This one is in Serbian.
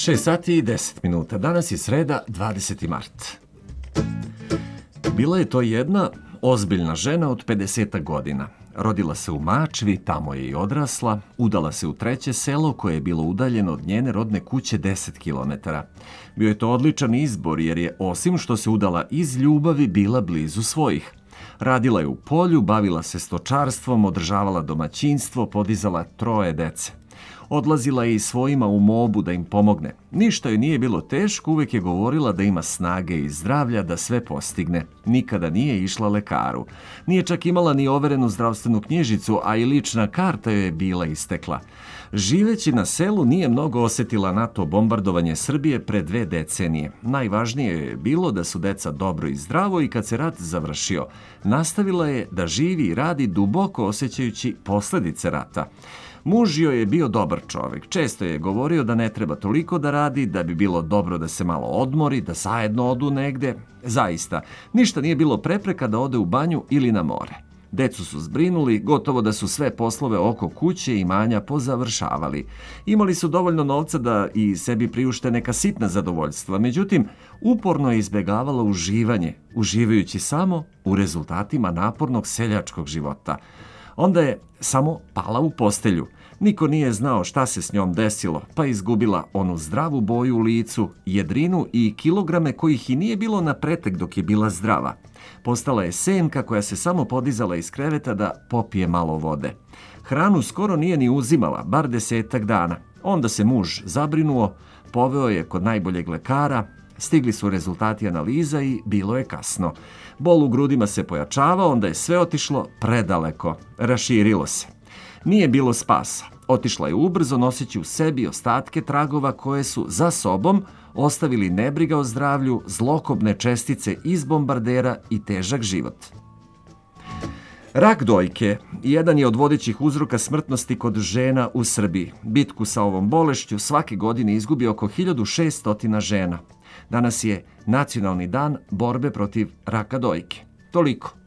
6 sati i 10 minuta. Danas je sreda, 20. mart. Bila je to jedna ozbiljna žena od 50 godina. Rodila se u Mačvi, tamo je i odrasla, udala se u treće selo koje je bilo udaljeno od njene rodne kuće 10 kilometara. Bio je to odličan izbor jer je, osim što se udala iz ljubavi, bila blizu svojih. Radila je u polju, bavila se stočarstvom, održavala domaćinstvo, podizala 3 dece. Odlazila je i svojima u Mobu da im pomogne. Ništa joj nije bilo teško, uvek je govorila da ima snage i zdravlja da sve postigne. Nikada nije išla lekaru. Nije čak imala ni overenu zdravstvenu knjižicu, a i lična karta joj je bila istekla. Živeći na selu nije mnogo osetila NATO bombardovanje Srbije pre 2 decenije. Najvažnije je bilo da su deca dobro i zdravo i kad se rat završio, nastavila je da živi i radi duboko osjećajući posledice rata. Muž joj je bio dobar čovjek. Često je govorio da ne treba toliko da radi, da bi bilo dobro da se malo odmori, da zajedno odu negde. Zaista, ništa nije bilo prepreka da ode u banju ili na more. Decu su zbrinuli, gotovo da su sve poslove oko kuće i imanja pozavršavali. Imali su dovoljno novca da i sebi priušte neka sitna zadovoljstva, međutim, uporno je izbjegavala uživanje, uživajući samo u rezultatima napornog seljačkog života. Onda je samo pala u postelju. Niko nije znao šta se s njom desilo, pa izgubila onu zdravu boju u licu, jedrinu i kilograme kojih i nije bilo na pretek dok je bila zdrava. Postala je senka koja se samo podizala iz kreveta da popije malo vode. Hranu skoro nije ni uzimala, bar 10 dana. Onda se muž zabrinuo, poveo je kod najboljeg lekara. Stigli su rezultati analiza i bilo je kasno. Bol u grudima se pojačavao, onda je sve otišlo predaleko. Raširilo se. Nije bilo spasa. Otišla je ubrzo noseći u sebi ostatke tragova koje su za sobom ostavili nebriga o zdravlju, zlokobne čestice iz bombardera i težak život. Rak dojke jedan je od vodećih uzroka smrtnosti kod žena u Srbiji. Bitku sa ovom bolešću svake godine izgubi oko 1600 žena. Danas je Nacionalni dan borbe protiv raka dojke. Toliko.